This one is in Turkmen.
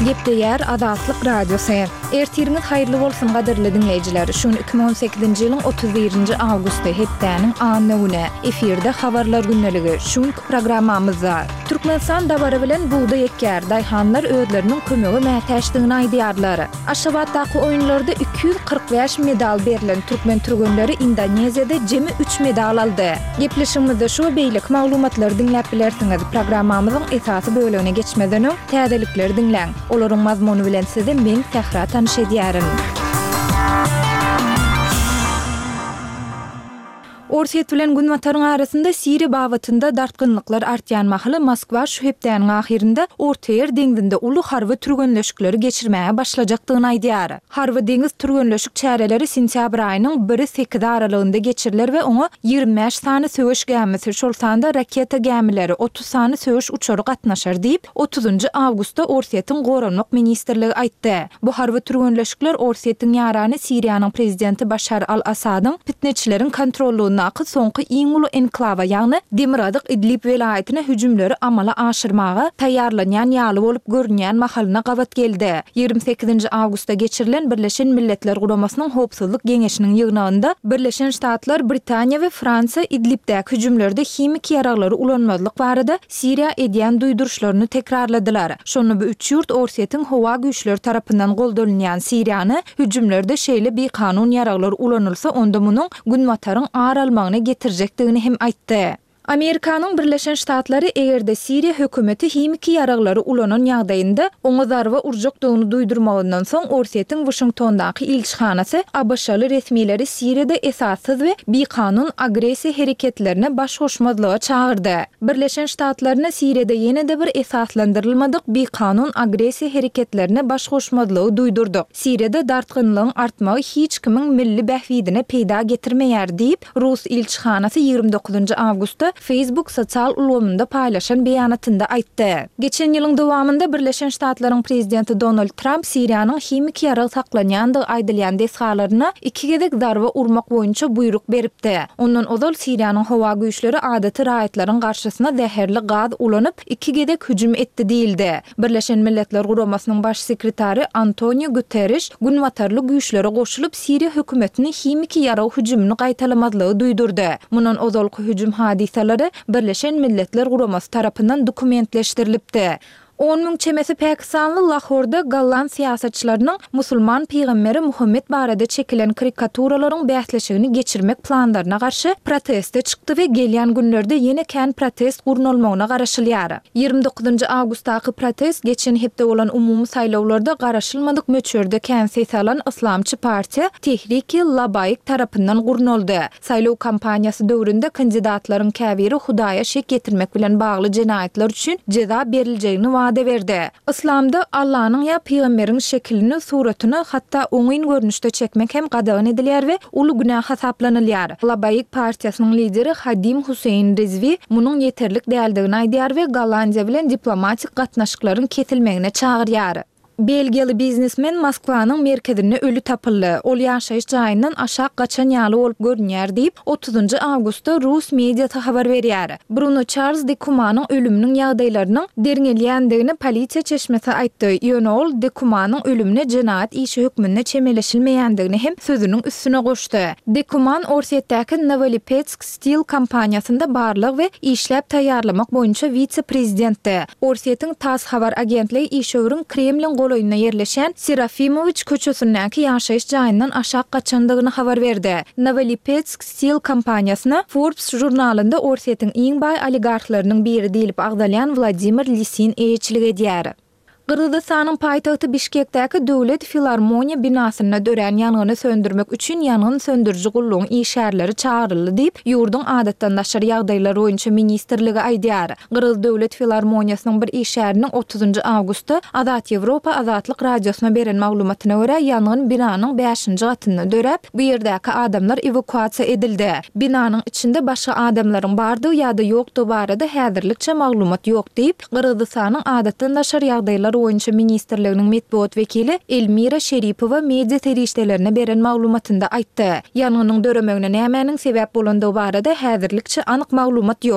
Gepleýär Azatlyk Radiosy. Ertiriňiz haýyrly bolsun gadyrly diňleýjiler. Şu gün 2018-nji ýylyň 31-nji awgusty, hepdäniň anna güni. Efirde Habarlar gündeligi. Şu günki programmamyzda. Türkmenistan dabara bilen bugdaý ekýär. Daýhanlar özleriniň kömege mätäçdigini aýdýarlar. Aşgabatdaky oýunlarda 245 medal berlen türkmen türgenleri Indoneziýada jemi üç medal aldy. Gepleşigimizde şu we beýleki maglumatlary diňläp bilersiňiz. Programmamyzyň esasy bölegine geçmezden öň, täzelikleri diňläň. Olaryň mazmuny bilen sizi men, Sähra tanyş edýärin. Orsýet bilen Günbataryň arasynda Siriýa babatynda dartgynlyklar artýan mahaly Moskwa şu hepdäniň ahyrynda Ortaýer deňzinde uly harby türgenleşikleri geçirmäge başlajakdygyny aýdýar. Harby-deňiz türgenleşik çäreleri sentýabr aýynyň biri sekizi aralygynda geçiriler we oňa 25 sany söweş gämisi, şol sanda raketa gämileri, 30 sany söweş uçary gatnaşar diýip, otuzynjy awgustda Orsýetiň Goranmak ministrligi aýtdy. Bu harby türgenleşikler Orsýetiň ýarany Siriýanyň prezidenti Başar al-Assadyň pitneçileriň kontrollygyndaky soňky iň uly enklawa, ýagny demirgazyk Idlib welaýatyna hüjümleri amala aşyrmaga taýýarlanýan ýaly bolup görünýän mahalyna gabat geldi. 28-nji awgustda geçirilen Birleşen Milletler Guramasynyň Howpsuzlyk Geňeşiniň ýygnagynda Birleşen Ştatlar, Britaniýa we Fransiýa Idlibdäki hüjümlerde himiki ýaraglary ulanmazlyk barada Siriýa edýän duýduryşlaryny tekrarladylar. Şonda bu üç ýurt Orsýetiň howa güýçleri tarapyndan goldalynýan Siriýany hüjümlerde şeýle bikanun ýaraglar ulanylsa onda munuň Günbataryň ar almagyna getirjekdigini hem aýtdy. Amerikanyň Birleşen Ştatlary eger-de Siriýa hökümeti himiki ýaraglary ulanan ýagdaýynda oňa zarba urjakdygyny duýdurmagyndan soň Orsýetiň Waşingtondaky ilçihanasy ABŞ-ly resmileri Siriýada esassyz we bikanun agressiýa hereketlerine baş goşmazlyga çagyrdy. Birleşen Ştatlaryna Siriýada ýene-de bir esaslandyrylmadyk bikanun agressiýa hereketlerine baş goşmazlygy duýdurdyk. Siriýada dartgynlygyň artmagy hiç kimiň milli bähbidine peýda getirmeýär diýip, Rus ilçihanasy 29 awgustda Facebook sosial ulgamynda paýlaşan beýanatynda aýtdy. Geçen ýylyň dowamynda Birleşen Ştatlaryň prezidenti Donald Tramp Siriýanyň himiki ýarag saklanýandygy aýdylýan desgalaryna iki gezek zarba urmak boýunça buýruk beripdi. Ondan ozal Siriýanyň howa güýçleri adaty raýatlaryň garşysyna zäherli gaz ulanyp, iki gezek hüjüm etdi diýildi. Birleşen Milletler Guramasynyň Baş sekretary Antoniu Guterriş günbatarly güýçlere goşulyp, Siriýa hökümetini himiki ýarag hüjümini gaýtalamazlygy duýdurdy. Mundan ozalky hüjüm hadysalary Birleşen Milletler Guramasy tarapyndan dokumentleşdirilipdi. 10 000 çemesi pakistanly Lahorda golland syýasatçylarynyň musulman pygamberi Muhammet barada çekilen karikaturalaryň bäsleşigini geçirmek planlaryna garşy proteste çykdy we gelýän günlerde ýene kän protest gurnalmagyna garaşylýar. 29 awgustdaky protest geçen hepde bolan umumy saýlawlarda garaşylmadyk möçberde kän ses alan yslamçy partiýa Tehriki Labaik tarapyndan gurnaldy. Saýlaw kampaniýasy döwründe kandidatlaryň käbiri Hudaýa şek ýetirmek bilen bagly jenaýatlar üçin jeza beriljegini wada berdi. Yslamda Allanyň ýa pygamberiň şekilini, suratyny hatda oňyn görnüşde çekmek hem gadagan edilýär we uly günä hasaplanylýar. Labaik partiýasynyň lideri Hadim Huseýin Rizwi munuň ýeterlik däldigini aýdýar we Gollandiýa bilen diplomatik gatnaşyklaryň kesilmegine çagyrýar. Belgiýaly biznesmen Moskwanyň merkezinde öli tapyldy. Ol ýaşaýyş jaýyndan aşak gaçan ýaly bolup görünýär diýip, otuzynjy awgustda rus mediasy habar berýär. Bruno Çarlz de Kumanyň ölüminiň ýagdaýlarynyň derňelýändigini polisiýa çeşmesi aýtdy, ýöne ol de Kumanyň ölümine jenaýat işi hökmünde çemeleşilmeýändigini hem sözüniň üstüne goşdy. De Kuman Orsýetdäki Nowolipetsk Steel kompaniýasynda barlag we işläp taýýarlamak boýunça wise-prezidentdi. Orsýetiň tass habar agentligi işewüriň Kremliň golaýynda ýerleşýän Serafimowiç köçesindäki ýaşaýyş jaýyndan aşak gaçandygyny habar berdi. Nowolipetsk Steel kompaniýasyna Forbes žurnalynda Orsýetiň iň baý oligarhlarynyň biri diýlip agzalýan Wladimir Lisin eýeçilik edýär. Gyrgyzystanyň paýtagty Bişkekdäki Döwlet filarmoniýa binasynda dörän ýangyny söndürmek üçin ýangyn söndüriji gullugyň işgärleri çagyryldy diýip, ýurduň Adatdan daşary ýagdaýlar boýunça ministrligi aýdýar. Gyrgyz döwlet filarmoniýasynyň bir işgäriniň otuzynjy awgustda Azat Ýewropa Azatlyk Radiosyna beren maglumatyna görä, ýangyn binanyň bäşinji gatynda döräp, bu ýerdäki adamlar ewakuasiýa edildi. Binanyň içinde başga adamlaryň bardygy ýa-da ýokdugy barada häzirlikçe maglumat ýok diýip, Gyrgyzystanyň Adatdan daşary ýagdaýlar boýunça ministrliginiň metbugat wekili Elmira Şeripowa media serişdelerine beren maglumatynda aýtdy. Ýangynyň döremegine nämäniň sebäp bolandygy barada häzirlikçe anyk maglumat ýok.